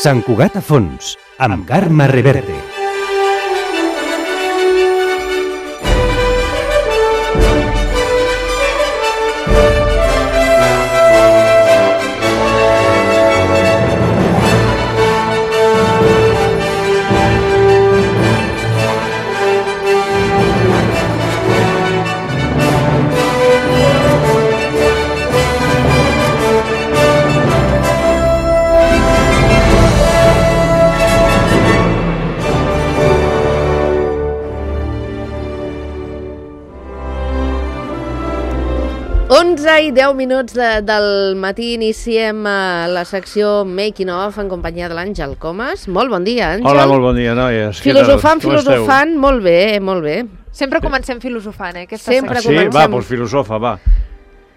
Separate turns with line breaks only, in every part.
Sant Cugat a fons, amb Carme Reverte.
I 10 minuts del matí iniciem la secció Making Of en companyia de l'Àngel Comas. Molt bon dia, Àngel.
Hola, molt bon dia, noies.
Filosofant, molt bé, molt bé.
Sempre comencem filosofant,
Sempre
comencem. Sí, va, doncs filosofa, va.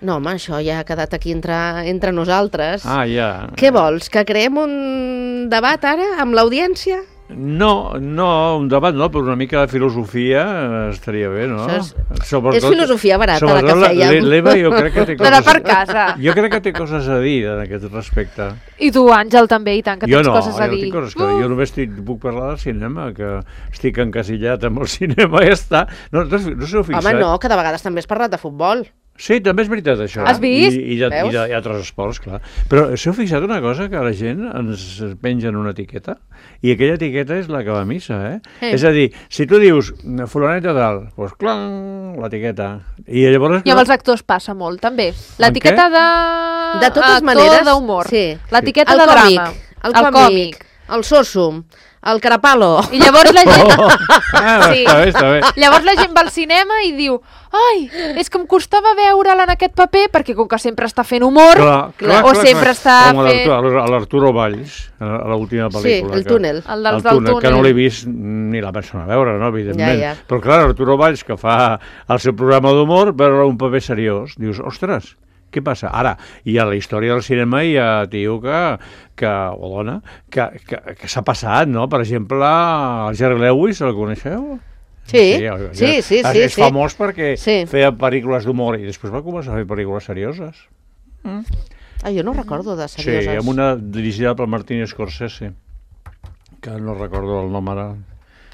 No, home, això ja ha quedat aquí entre nosaltres.
Ah, ja.
Què vols, que creem un debat ara amb l'audiència?
No, un debat no, però una mica de filosofia estaria bé, no?
És filosofia barata, la que fèiem.
L'Eva jo crec que té
coses... per casa.
Jo crec que té coses a dir en aquest respecte.
I tu, Àngel, també, i tant, que tens coses a dir.
Jo no tinc coses a dir. Jo només puc parlar del cinema, que estic encasillat amb el cinema i ja està. No s'heu fixat?
Home, no, que de vegades també has parlat de futbol.
Sí, també és veritat, això.
Has vist?
I d'altres esports, clar. Però s'heu fixat una cosa, que la gent ens pengen una etiqueta, i aquella etiqueta és la que va a missa, eh? És a dir, si tu dius fulaneta tal, doncs clang, l'etiqueta. I llavors...
I amb els actors passa molt, també. L'etiqueta
de totes maneres,
d'humor.
Sí.
L'etiqueta de drama.
El còmic. El soso. El carapalo.
I llavors la gent...
Està bé.
Llavors la gent va al cinema i diu ai, és que em costava veure'l en aquest paper perquè com que sempre està fent humor sempre està fent...
Com l'Arturo Valls, a l'última pel·lícula.
Sí, el túnel.
El del túnel.
Que no l'he vist ni la persona a veure, no, evidentment. Ja. Però clar, Arturo Valls, que fa el seu programa d'humor, veure un paper seriós, dius, ostres, què passa? Ara, i a la història del cinema hi ha tio o dona que s'ha passat, no? Per exemple, el Jerry Lewis, el coneixeu?
Sí.
És famós perquè feia pel·lícules d'humor i després va començar a fer pel·lícules serioses.
Jo no recordo de serioses.
Sí, amb una dirigida per Martin Scorsese, que no recordo el nom ara.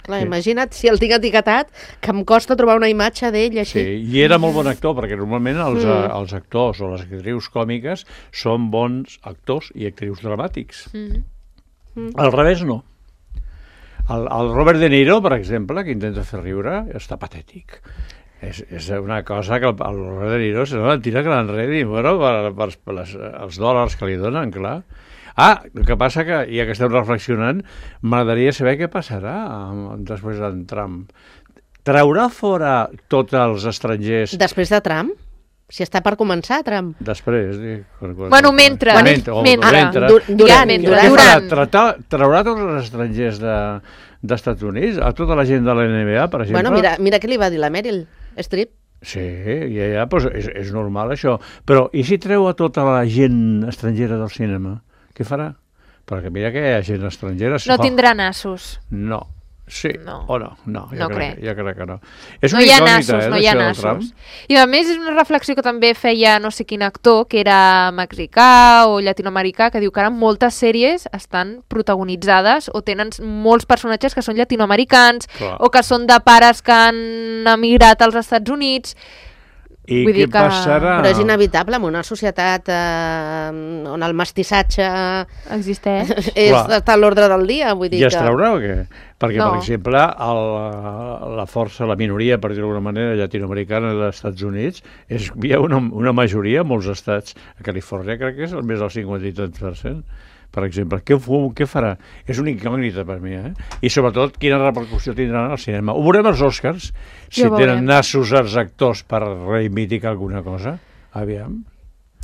Clar, imagina't si el tinc etiquetat, que em costa trobar una imatge d'ell així.
Sí, i era molt bon actor, perquè normalment els actors o les actrius còmiques són bons actors i actrius dramàtics. Al revés, no. El Robert De Niro, per exemple, que intenta fer riure, està patètic. És una cosa que el Robert De Niro se la tira que l'enredi, bueno, per els dòlars que li donen, clar. El que passa que, ja que estem reflexionant, m'agradaria saber què passarà després d'en Trump. Traurà fora tots els estrangers...
Després de Trump? Si està per començar, Trump.
Després.
Bueno, mentre.
Durant. Traurà tots els estrangers d'Estats Units? A tota la gent de la NBA, per exemple?
Bueno, mira què li va dir la Meryl Streep.
Sí, ja, doncs és normal això. Però i si treu a tota la gent estrangera del cinema? Què farà? Perquè mira que hi ha gent estrangera...
No tindrà nassos.
No. Sí, o no? No, jo crec que no.
No hi ha nassos, no hi ha nassos. I a més és una reflexió que també feia no sé quin actor, que era mexicà o llatinoamericà, que diu que ara moltes sèries estan protagonitzades o tenen molts personatges que són llatinoamericans o que són de pares que han emigrat als Estats Units.
I què passarà?
Però és inevitable en una societat on el mestissatge
existeix.
Està a l'ordre del dia. Vull dir
I es traurà o què? Perquè, per exemple, la força, la minoria, per dir-ho d'alguna manera, llatinoamericana dels Estats Units, hi ha una majoria en molts estats. A Califòrnia crec que és més del 50%. Per exemple, què farà? És una incògnita per mi, eh? I sobretot, quina repercussió tindran al cinema. Ho veurem als Oscars, si tenen nassos els actors per reivindicar alguna cosa. Aviam.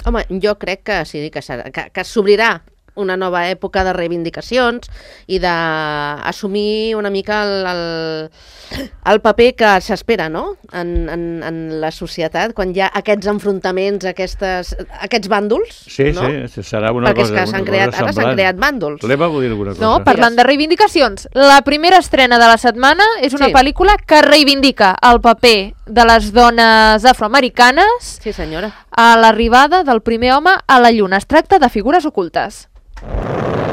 Home, jo crec que sí, que s'obrirà una nova època de reivindicacions i d'assumir una mica el paper que s'espera, no?, en la societat, quan hi ha aquests enfrontaments, aquests bàndols.
Sí, no? Sí, serà una cosa semblant.
Perquè ara s'han creat bàndols.
L'Eva vol dir alguna cosa.
No, parlant de reivindicacions, la primera estrena de la setmana és una pel·lícula que reivindica el paper de les dones afroamericanes a l'arribada del primer home a la Lluna. Es tracta de Figures ocultes.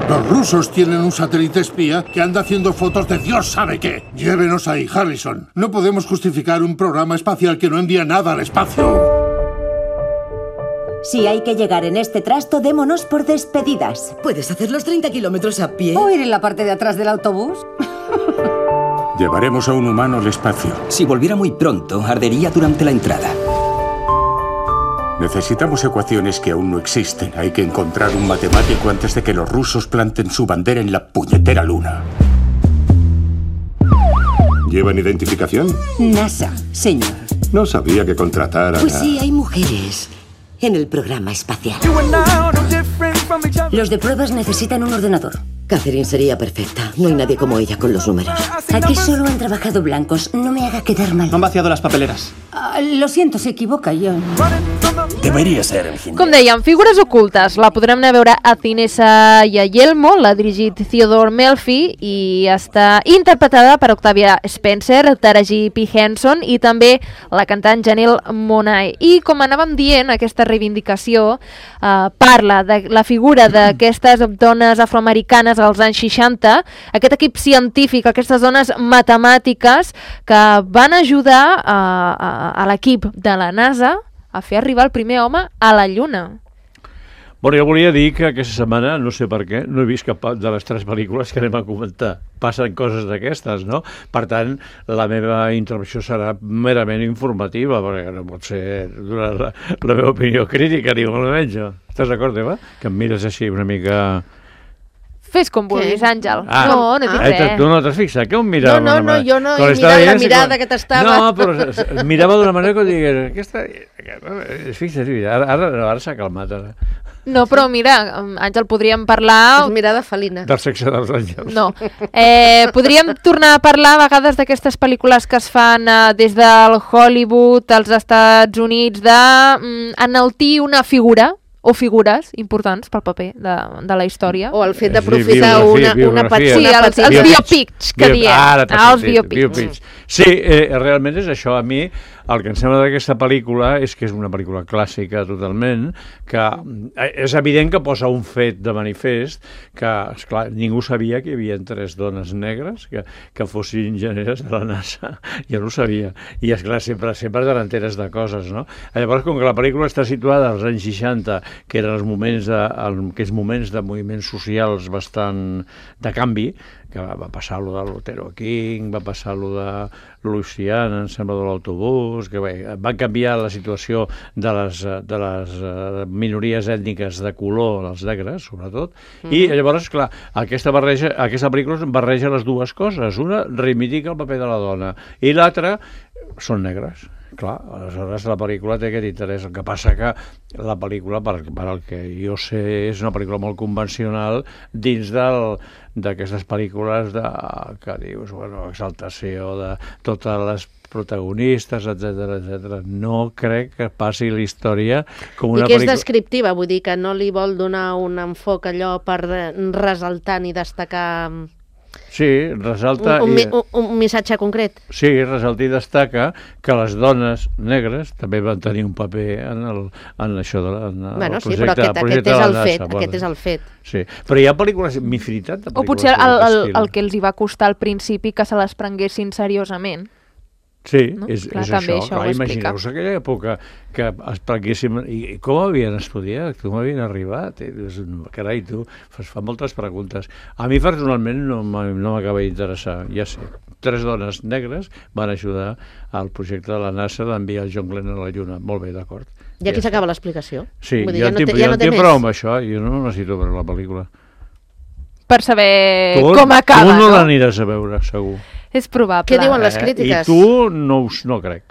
Los rusos tienen un satélite espía que anda haciendo fotos de Dios sabe qué. Llévenos ahí, Harrison. No podemos justificar un programa espacial que no envía nada al espacio.
Si hay que llegar en este trasto, démonos por despedidas.
¿Puedes hacer los 30 kilómetros a pie?
¿O ir en la parte de atrás del autobús?
Llevaremos a un humano al espacio.
Si volviera muy pronto, ardería durante la entrada.
Necesitamos ecuaciones que aún no existen. Hay que encontrar un matemático antes de que los rusos planten su bandera en la puñetera luna. ¿Llevan identificación?
NASA, señor.
No sabía que contrataran
Pues sí, hay mujeres en el programa espacial.
Los de pruebas necesitan un ordenador.
Catherine sería perfecta. No hay nadie como ella con los números.
Aquí solo han trabajado blancos. No me haga quedar mal.
Han vaciado las papeleras.
Lo siento, se equivoca, John.
Debería ser el fin.
Com dèiem, Figures ocultes. La podrem anar a veure a Cinesa i a Yelmo, l'ha dirigit Theodore Melfi i està interpretada per Octavia Spencer, Taraji P. Henson i també la cantant Janelle Monáe. I com anàvem dient, aquesta reivindicació parla de la figura d'aquestes dones afroamericanes als anys 60, aquest equip científic, aquestes dones matemàtiques que van ajudar a l'equip de la NASA a fer arribar el primer home a la Lluna.
Bueno, jo volia dir que aquesta setmana, no sé per què, no he vist cap de les 3 pel·lícules que anem a comentar. Passen coses d'aquestes, no? Per tant, la meva intervenció serà merament informativa, perquè no pot ser donar la meva opinió crítica, ni molt menys. Estàs d'acord, Eva? Que em mires així una mica...
Fes com vulguis, Àngel. No dic res.
Tu no t'has fixat? Que on mirava?
No, jo no he mirat la mirada que t'estava...
No, però mirava d'una manera que digués... Aquesta... Fixa't, ara s'ha calmat, ara.
No, però mira, Àngel, podríem parlar...
És mirada felina.
Del sexe dels àngels.
No. Podríem tornar a parlar a vegades d'aquestes pel·lícules que es fan des del Hollywood, als Estats Units, d'enaltir una figura o figures importants pel paper de la història.
O el fet d'aprofitar una petita...
Sí, els biopics que diem. Els biopics.
Sí, realment és això. A mi el que em sembla d'aquesta pel·lícula és que és una pel·lícula clàssica totalment, que és evident que posa un fet de manifest que, esclar, ningú sabia que hi havia 3 dones negres que fossin enginyeres de la NASA. Jo no ho sabia. I, esclar, sempre t'enteres de coses, no? Llavors, com que la pel·lícula està situada als anys 60, que eren aquells moments de moviments socials bastant de canvi, que va passar allò de l'Otero King, va passar allò de Louisiana, em sembla, de l'autobús, que bé, van canviar la situació de les minories ètniques de color, els negres, sobretot, i llavors, clar, aquesta pel·lícula barreja les dues coses. Una reivindica el paper de la dona, i l'altra són negres. Clar, aleshores la pel·lícula té aquest interès. El que passa que la pel·lícula, per el que jo sé, és una pel·lícula molt convencional dins d'aquestes pel·lícules que dius, bueno, exaltació de totes les protagonistes, etc. No crec que passi la història com una pel·lícula... I
que és descriptiva, vull dir que no li vol donar un enfoc allò per ressaltar ni destacar...
Sí, resalta...
Un missatge concret.
Sí, resalta i destaca que les dones negres també van tenir un paper en això de
bueno, sí, però aquest és el fet. Aquest és el fet.
Sí, però hi ha pel·lícules, infinitat de pel·lícules...
O potser el que els hi va costar al principi que se les prenguessin seriosament.
Sí,
no?
és
això.
Clar, imagineu-vos aquella època que es prenguéssim... I com havien estudiat? Com havien arribat? Carai, tu fa moltes preguntes. A mi personalment no m'acaba d'interessar, ja sé. 3 dones negres van ajudar al projecte de la NASA d'enviar el John Glenn a la Lluna. Molt bé, d'acord.
I aquí s'acaba l'explicació.
Sí, jo no tinc prou amb això, jo no necessito veure la pel·lícula.
Per saber com acaba,
tu no l'aniràs a veure, segur.
És probable.
Què diuen les crítiques?
I tu no crec.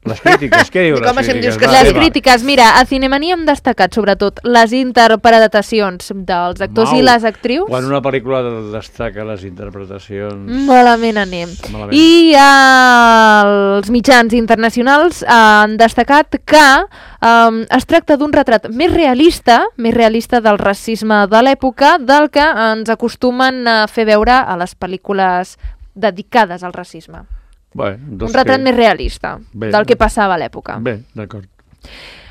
Les crítiques, què diuen les crítiques?
Les crítiques, mira, a Cinemania hem destacat sobretot les interpretacions dels actors i les actrius.
Quan una pel·lícula destaca les interpretacions...
Malament anem. I els mitjans internacionals han destacat que es tracta d'un retrat més realista del racisme de l'època del que ens acostumen a fer veure a les pel·lícules dedicades al racisme.
Bé,
un retrat més realista del que passava a l'època.
Bé, d'acord.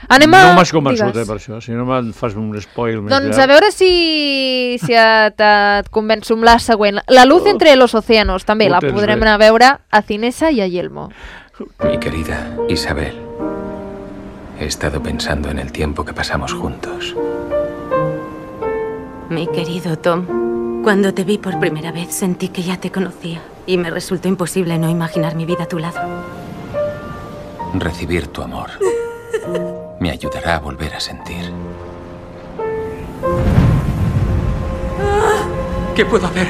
Anem a...
No m'has convençut, per això. Si no me'n fas un spoil més
Doncs a veure si et convenço amb la següent. La luz entre los océanos, també la podrem anar a veure a Cinesa y a Yelmo.
Mi querida Isabel, he estado pensando en el tiempo que pasamos juntos.
Mi querido Tom, cuando te vi por primera vez sentí que ya te conocía y me resultó imposible no imaginar mi vida a tu lado.
Recibir tu amor me ayudará a volver a sentir. ¿Qué puedo hacer?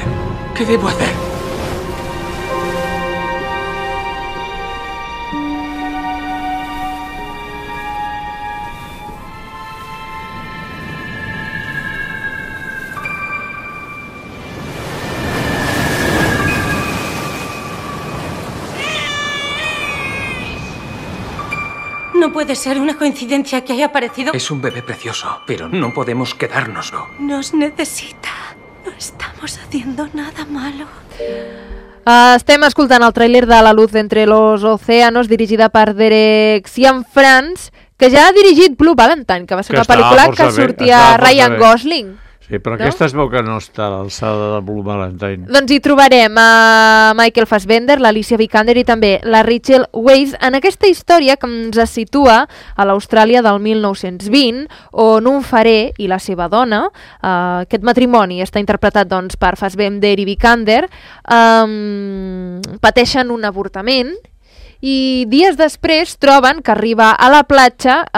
¿Qué debo hacer?
No puede ser una coincidencia que haya aparecido.
Es un bebé precioso, pero no podemos quedárnoslo.
Nos necesita. No estamos haciendo nada malo.
Estem escoltant el tràiler de La luz entre los océanos, dirigida per Derek Cianfrance, que ja ha dirigit Blue Valentine, que va ser una pel·lícula que sortia Ryan Gosling.
Sí, però no? Aquesta es veu que no està a l'alçada de Blue Valentine.
Doncs hi trobarem a Michael Fassbender, l'Alicia Vikander i també la Rachel Weisz en aquesta història que ens situa a l'Austràlia del 1920, on un farer i la seva dona, aquest matrimoni està interpretat doncs, per Fassbender i Vikander, pateixen un avortament i dies després troben que arriba a la platja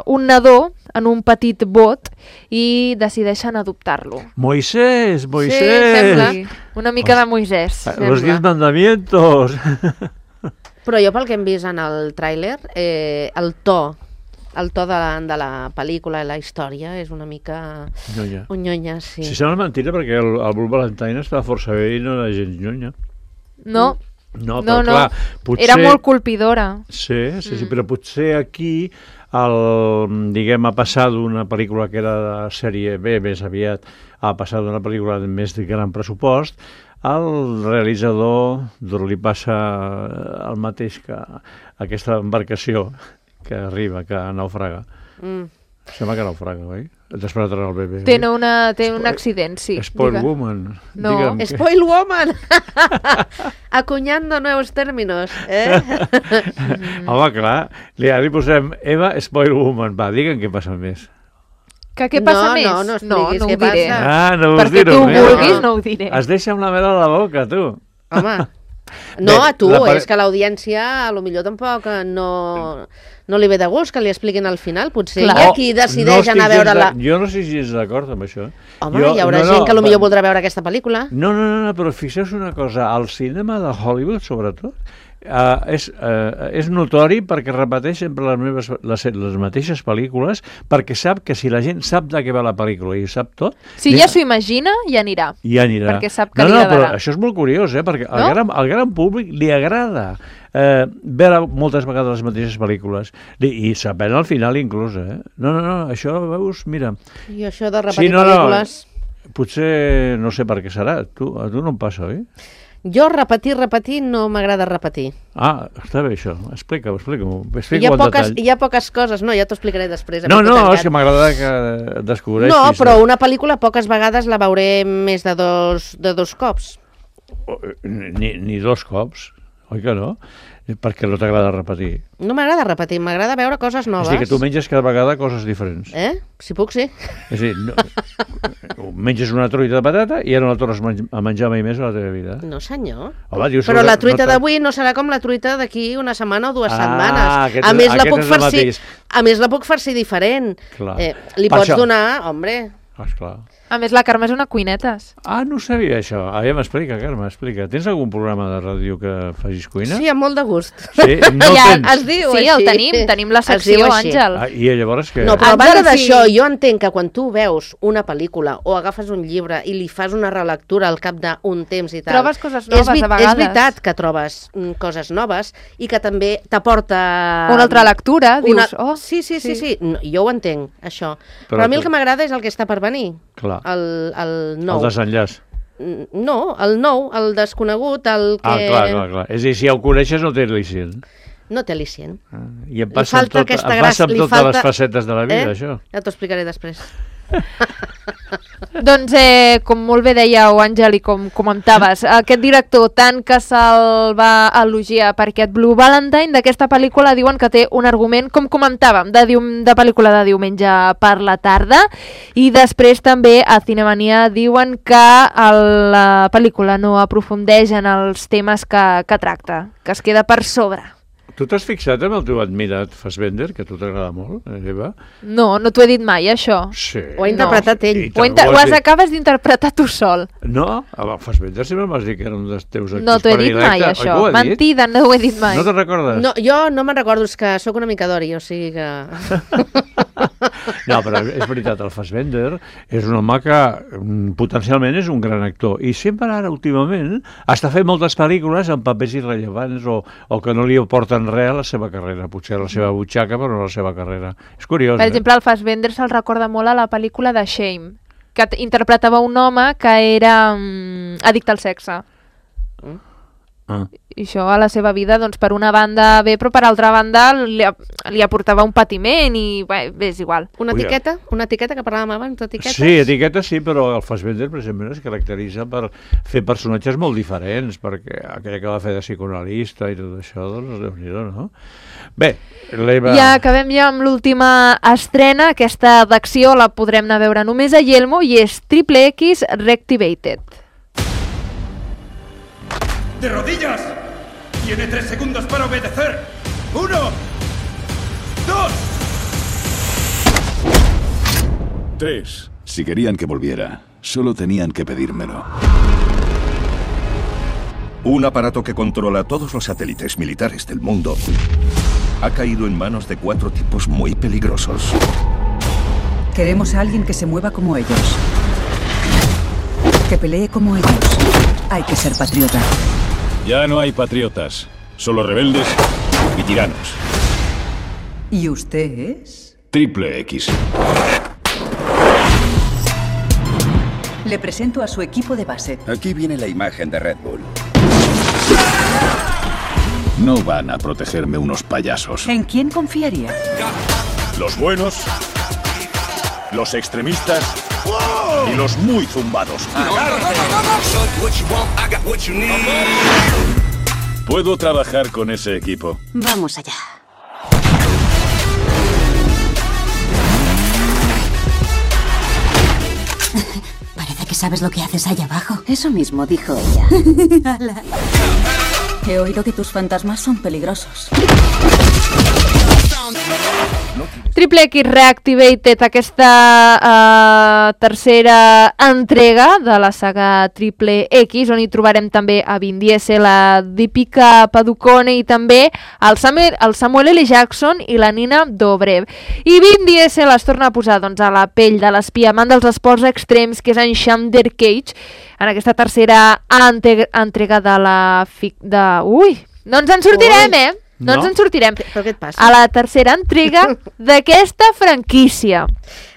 un nadó en un petit bot i decideixen adoptar-lo.
Moisés!
Sí, sembla. Una mica de Moisés.
Los 10 mandamientos!
Però jo pel que hem vist en el tràiler, el to de la pel·lícula i la història és una mica... Nyonya, sí.
Si sembla mentira, perquè el Blue Valentine estava força bé i no era gens nyonya.
No.
No, però clar, potser...
Era molt colpidora.
Sí, però potser aquí diguem, ha passat d'una pel·lícula que era de sèrie B, més aviat, ha passat d'una pel·lícula de més de gran pressupost, al realitzador li passa el mateix que aquesta embarcació que arriba, que naufraga. Sembla que naufraga, oi? Despertarà el bebè.
Té un accident, sí.
Spoil woman.
No, spoil woman. Acuñando nuevos términos.
Home, clar, li posem Eva Spoil woman. Va, digue'm què passa més.
Que què passa més?
No expliquis què passa.
No us
perquè
diré.
tu vulguis, no ho diré.
Es deixa amb la mel a la boca, tu.
Home, no, a tu, és que l'audiència potser tampoc no li ve de gust que li expliquin al final. Potser hi ha qui decideix anar a veure-la.
Jo no estic gens d'acord amb això.
Home, hi haurà gent que potser voldrà veure aquesta pel·lícula.
No, però fixeu-vos una cosa, el cinema de Hollywood, sobretot, és notori perquè repeteix sempre les mateixes pel·lícules, perquè sap que si la gent sap de què va la pel·lícula i sap tot...
Si ja s'ho imagina, ja anirà.
Perquè
sap que li agradarà.
Però això és molt curiós, perquè al gran públic li agrada veure moltes vegades les mateixes pel·lícules i saber al final inclús, No, això, veus, mira...
I això de repetir pel·lícules...
Potser no sé per què serà, a tu no em passa, oi?
Jo repetir, no m'agrada repetir.
Ah, està bé això. Explica-ho.
Hi ha poques coses, ja t'ho explicaré després.
No, és que m'agrada que descobreixis.
No, però una pel·lícula poques vegades la veuré més de dos cops.
Ni dos cops, oi que no? Perquè no t'agrada repetir.
No m'agrada repetir, m'agrada veure coses noves.
És a dir, que tu menges cada vegada coses diferents.
Si puc, sí.
És a dir, menges una truita de patata i ja no la tornes a menjar mai més a la teva vida.
No, senyor.
Home, dius,
però la truita d'avui no serà com la truita d'aquí una setmana o 2 setmanes. A més, la puc farcir diferent. Li pots donar, home...
Esclar.
A més, la Carme és una cuinetes.
Ah, no sabia això. M'explica, Carme, explica. Tens algun programa de ràdio que facis cuina?
Sí, amb molt de gust.
Sí, no tens.
Es diu
així. Sí, el tenim la secció, Àngel.
I llavors què?
No, però a banda d'això, jo entenc que quan tu veus una pel·lícula o agafes un llibre i li fas una relectura al cap d'un temps i tal...
Trobes coses noves a vegades.
És veritat que trobes coses noves i que també t'aporta...
Una altra lectura, dius...
Sí. Jo ho entenc, això. Però a mi el que m'agrada és el que està per venir.
Clar.
El nou.
El desenllaç.
No, el nou, el desconegut, el que...
Clar. És a dir, si el coneixes no té al·licient.
No té al·licient.
I em passa amb totes les facetes de la vida, això.
Ja t'ho explicaré després.
Doncs, com molt bé dèieu, Àngel, i com comentaves, aquest director, tant que se'l va elogiar per aquest Blue Valentine, d'aquesta pel·lícula diuen que té un argument, com comentàvem, de pel·lícula de diumenge per la tarda, i després també a Cinemania diuen que la pel·lícula no aprofundeix en els temes que tracta, que es queda per sobre.
Tu t'has fixat en el teu admirat Fassbender, que a tu t'agrada molt, Eva?
No t'ho he dit mai, això.
Sí.
Ho ha interpretat ell.
Ho acabes d'interpretar tu sol.
No, el Fassbender sempre m'has dit que era un dels teus actors
predilectes. No t'ho he dit mai, això. Mentida, no ho he dit mai.
No te'n recordes?
No, jo no me'n recordo, és que sóc una mica d'ori, o sigui que...
No, però és veritat, el Fassbender és un home que potencialment és un gran actor i sempre ara, últimament, està fent moltes pel·lícules amb papers irrellevants o que no li aporten res a la seva carrera, potser a la seva butxaca, però no a la seva carrera. És curiós,
Per exemple, el Fassbender se'l recorda molt a la pel·lícula de Shame, que interpretava un home que era addicte al sexe. I això a la seva vida, doncs, per una banda bé, però per altra banda li aportava un patiment i bé, és igual.
Una etiqueta que parlàvem abans d'etiquetes?
Sí, etiquetes sí, però el Fassbender, per exemple, es caracteritza per fer personatges molt diferents, perquè aquella que va fer de psicoanalista i tot això, doncs, Déu-n'hi-do, no? Bé, l'Eva...
Ja acabem amb l'última estrena, aquesta d'acció la podrem anar a veure només a Yelmo i és Triple X Reactivated.
¡De rodillas! Tiene 3 segundos para obedecer. 1, 2.
3. Si querían que volviera, solo tenían que pedírmelo.
Un aparato que controla todos los satélites militares del mundo ha caído en manos de 4 tipos muy peligrosos.
Queremos a alguien que se mueva como ellos. Que pelee como ellos. Hay que ser patriota.
Ya no hay patriotas, solo rebeldes y tiranos.
¿Y usted es?
Triple X.
Le presento a su equipo de base.
Aquí viene la imagen de Red Bull.
No van a protegerme unos payasos.
¿En quién confiaría?
Los buenos, los extremistas y los muy zumbados. Puedo trabajar con ese equipo.
Vamos allá. Parece que sabes lo que haces allá abajo.
Eso mismo dijo ella. He oído que tus fantasmas son peligrosos.
Triple X Reactivated, aquesta tercera entrega de la saga Triple X, on hi trobarem també a Vin Diesel, a Deepika Padukone i també el Samuel L. Jackson i la Nina Dobrev. I Vin Diesel es torna a posar a la pell de l'espia amant dels esports extrems, que és en Xander Cage, en aquesta tercera entrega de la... No ens en sortirem, No ens en sortirem.
Però què et passa?
A la tercera entrega d'aquesta franquícia.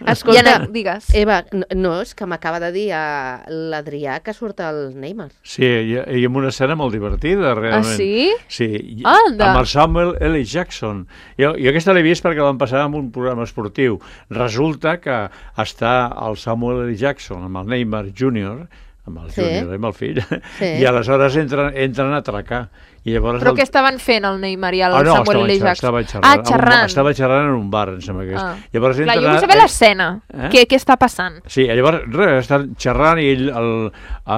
Escolta,
Diana, digues.
Eva, no, és que m'acaba de dir l'Adrià que surt el Neymar.
Sí, i amb una escena molt divertida, realment.
Ah, sí?
Sí,
Anda.
amb el Samuel L. Jackson. Jo aquesta l'he vist perquè l'han passat en un programa esportiu. Resulta que està el Samuel L. Jackson amb el Neymar Jr., amb el Júnior, amb el fill, i aleshores entren a atracar. I llavors
Però què estaven fent el Neymar i el Samuel L. Jackson?
Xerrant. Estava xerrant en un bar, em sembla que és. Llavors
Clar, jo vull saber l'escena. Què està passant?
Sí, llavors estan xerrant i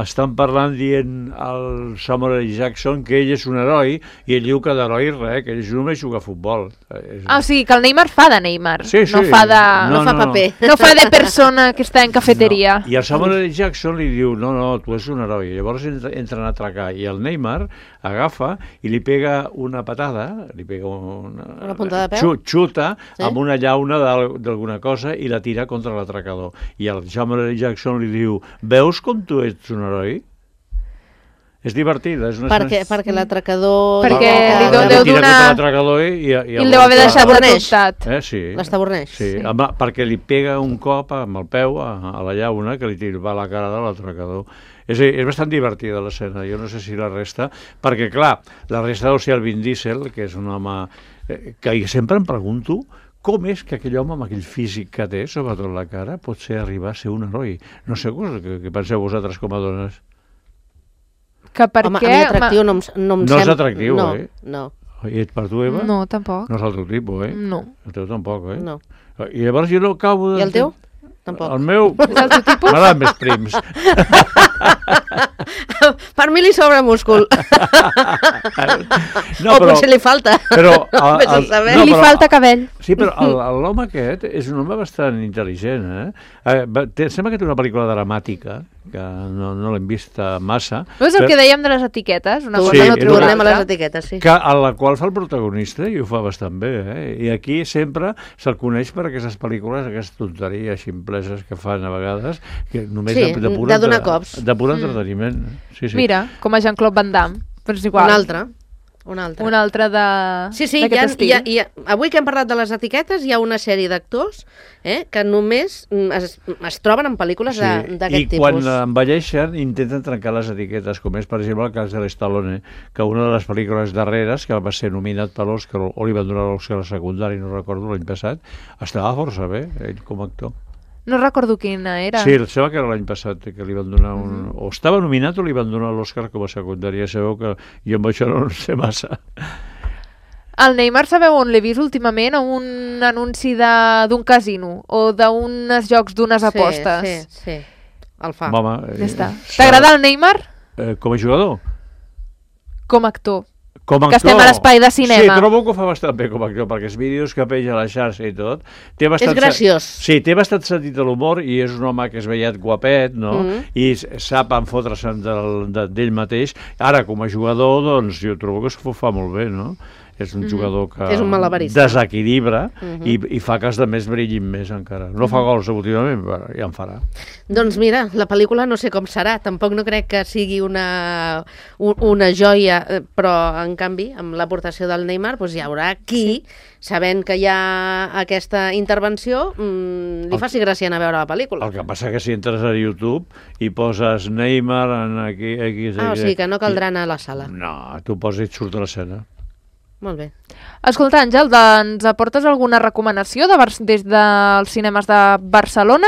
estan parlant dient al Samuel L. Jackson que ell és un heroi i ell diu que d'heroi res, que ell només juga a futbol.
O sigui, que el Neymar fa de Neymar.
Sí, sí.
No fa
paper.
No fa de persona que està en cafeteria.
I el Samuel L. Jackson li diu, no, tu és un heroi. Llavors entren a atracar i el Neymar agafa i li pega una patada, li pega
una puntada de peu,
xuta amb una llauna d'alguna cosa i la tira contra l'atracador. I el Samuel L. Jackson li diu, veus com tu ets un heroi? És divertida. És
perquè l'atracador...
Perquè li deu donar...
I
el deu haver deixat sobretot.
Sí.
L'estaborneix.
Sí, perquè li pega un cop amb el peu a la llauna que li va a la cara de l'atracador. És bastant divertida l'escena, jo no sé si la resta, perquè clar, la resta deu ser el Vin Diesel, que és un home que sempre em pregunto com és que aquell home amb aquell físic que té, sobretot la cara, pot arribar a ser un heroi. No sé què penseu vosaltres com a dones.
Que per
home,
què?
A mi atractiu no em sembla...
No és atractiu,
No.
I per tu, Eva?
No, tampoc.
No és el teu tipus,
No.
El teu tampoc,
No.
I llavors jo no acabo de...
I el teu? Tampoc.
El meu...
És el teu tipus?
M'agraden més prims.
Per mi li sobra múscul.
No,
o potser li falta.
Però
li falta cabell.
Sí, però l'home aquest és un home bastant intel·ligent, sembla que té una pel·lícula dramàtica, que no l'hem vista massa.
No és el que dèiem de les etiquetes? Una cosa
no tornem a les etiquetes, sí.
Que a la qual fa el protagonista i ho fa bastant bé, I aquí sempre se'l coneix per aquestes pel·lícules, aquestes tonteries ximpleses que fan a vegades, que només
de donar cops.
De pur entreteniment. Sí.
Mira, com a Jean-Claude Van Damme. Però és igual.
Un altre.
Un altre d'aquest estil.
Avui que hem parlat de les etiquetes, hi ha una sèrie d'actors que només es troben en pel·lícules d'aquest tipus.
I quan envelleixen intenten trencar les etiquetes, com és, per exemple, el cas de l'Stallone, que una de les pel·lícules darreres, que va ser nominat per l'Òscar, o li van donar l'Òscar secundari, no recordo, l'any passat, estava força bé, ell com a actor.
No recordo quina era.
Sí, sembla que era l'any passat que li van donar o estava nominat o li van donar l'Òscar com a secundària. Sabeu que jo amb això no sé massa.
El Neymar, sabeu on l'he vist últimament? A un anunci d'un casino o d'uns jocs d'unes apostes.
Sí. El fa.
Home,
ja està. T'agrada el Neymar?
Com a jugador?
Com a actor.
Que
estem a l'espai de cinema.
Sí, trobo que ho fa bastant bé com a actor, perquè els vídeos que penja a la xarxa i tot...
És graciós.
Sí, té bastant sentit de l'humor i és un home que és vellet guapet, no? I sap enfotre's d'ell mateix. Ara, com a jugador, doncs, jo trobo que s'ho fa molt bé, no? És un jugador que desequilibra i fa que els altres brillin més encara. No fa gols últimament, però ja en farà.
Doncs mira, la pel·lícula no sé com serà, tampoc no crec que sigui una joia, però en canvi, amb l'aportació del Neymar, doncs hi haurà qui, sabent que hi ha aquesta intervenció, li faci gràcia anar a veure la pel·lícula.
El que passa que si entres a YouTube i poses Neymar aquí...
o sigui que no caldrà anar a la sala.
No, tu poses i et surt a l'escena.
Molt bé.
Escolta, Àngel, ens aportes alguna recomanació des dels cinemes de Barcelona?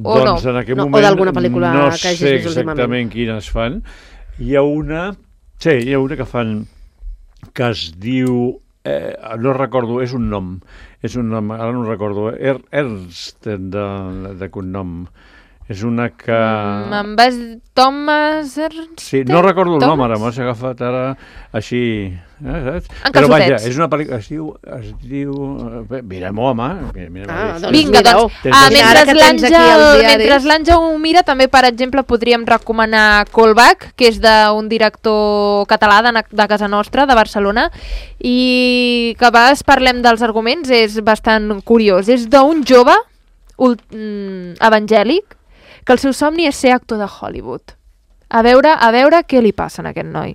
O
doncs
no?
En aquest moment
o d'alguna pel·lícula que hagis vist últimament.
No sé exactament quines fan. Hi ha una que fan que es diu... no recordo, és un nom, ara no recordo, Ernst de cognom. És una que...
Me'n vas... Thomas Ernst?
Sí, no recordo el nom ara, m'has agafat ara així...
En
però vaja,
calçotets.
és una pel·lícula... Es diu... Mirem-ho, home.
Vinga, doncs. Mentre l'Àngel ho mira, també, per exemple, podríem recomanar Callback, que és d'un director català de casa nostra, de Barcelona, i que a vegades parlem dels arguments, és bastant curiós. És d'un jove evangèlic que el seu somni és ser actor de Hollywood. A veure què li passa a aquest noi.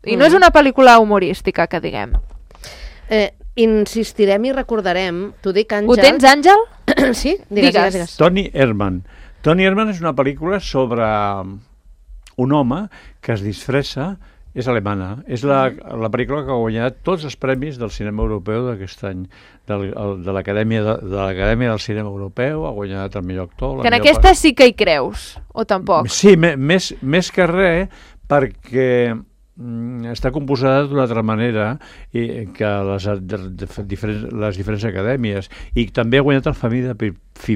I no és una pel·lícula humorística, que diguem.
Insistirem i recordarem, t'ho dic, Àngel...
Ho tens, Àngel?
Sí, digues.
Tony Herman. Tony Herman és una pel·lícula sobre un home que es disfressa. És alemana. És la pel·lícula que ha guanyat tots els premis del cinema europeu d'aquest any. De l'Acadèmia del Cinema Europeu, ha guanyat el millor actor.
Que en aquesta sí que hi creus, o tampoc?
Sí, més que res, perquè està composada d'una altra manera que les diferents acadèmies, i també ha guanyat el Famí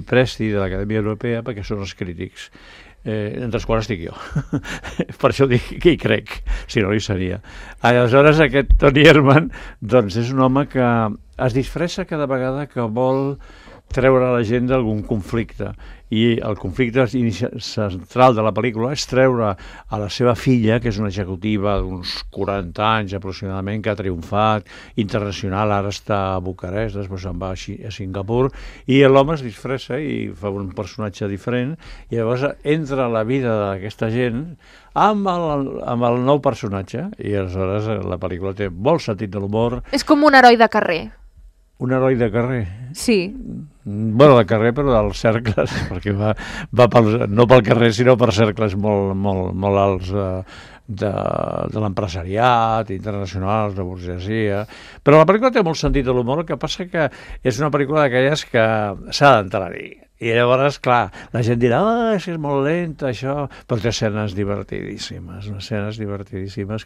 Presti de l'Acadèmia Europea perquè són els crítics. Entre els quals estic jo. Per això dic que hi crec, si no hi seria. Aleshores, aquest Tony Herman doncs és un home que es disfressa cada vegada que vol treure la gent d'algun conflicte. I el conflicte central de la pel·lícula és treure a la seva filla, que és una executiva d'uns 40 anys aproximadament, que ha triomfat, internacional, ara està a Bucarest, després se'n va a Singapur, i l'home es disfressa i fa un personatge diferent, i llavors entra a la vida d'aquesta gent amb el nou personatge, i aleshores la pel·lícula té molt sentit de l'humor.
És com un heroi de carrer.
Un heroi de carrer?
Sí.
Bueno, de carrer, però dels cercles, perquè va no pel carrer, sinó per cercles molt alts de l'empresariat, internacionals, de burgesia. Però la pel·lícula té molt sentit de l'humor, el que passa que és una pel·lícula d'aquelles que s'ha d'entrar-hi. I llavors, clar, la gent dirà, és que és molt lenta, això, però té escenes divertidíssimes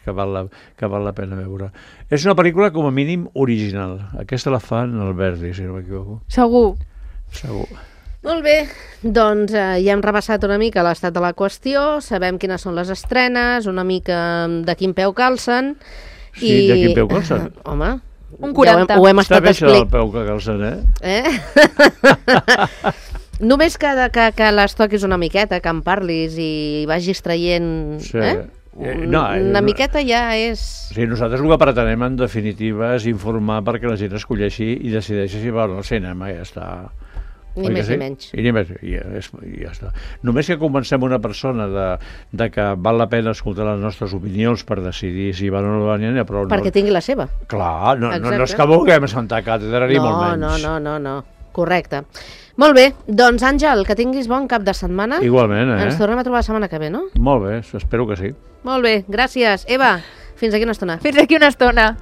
que val la pena veure. És una pel·lícula, com a mínim, original. Aquesta la fan el Verdi, si no m'equivoco.
Segur.
Molt bé, doncs ja hem repassat una mica l'estat de la qüestió, sabem quines són les estrenes, una mica de quin peu calcen.
Sí, de quin peu calcen?
Home,
un 40.
Ja ho hem estat
explicant. Està bé això del peu que calcen,
Només que les toquis una miqueta, que en parlis i vagis traient...
Sí.
Una miqueta ja és...
Sí, nosaltres el que pretenem, en definitiva, és informar perquè la gent escolleixi i decideixi si va al cinema, ja està.
Ni més ni menys.
I ja està. Només que convencem una persona de que val la pena escoltar les nostres opinions per decidir si van o no van, però
perquè tingui la seva.
Clar, no és que vulguem Santa Càtedra ni molt menys.
No. Correcte. Molt bé, doncs Àngel, que tinguis bon cap de setmana.
Igualment,
Ens tornem a trobar la setmana que ve, no?
Molt bé, espero que sí.
Molt bé, gràcies. Eva, fins aquí una estona.
Fins aquí una estona.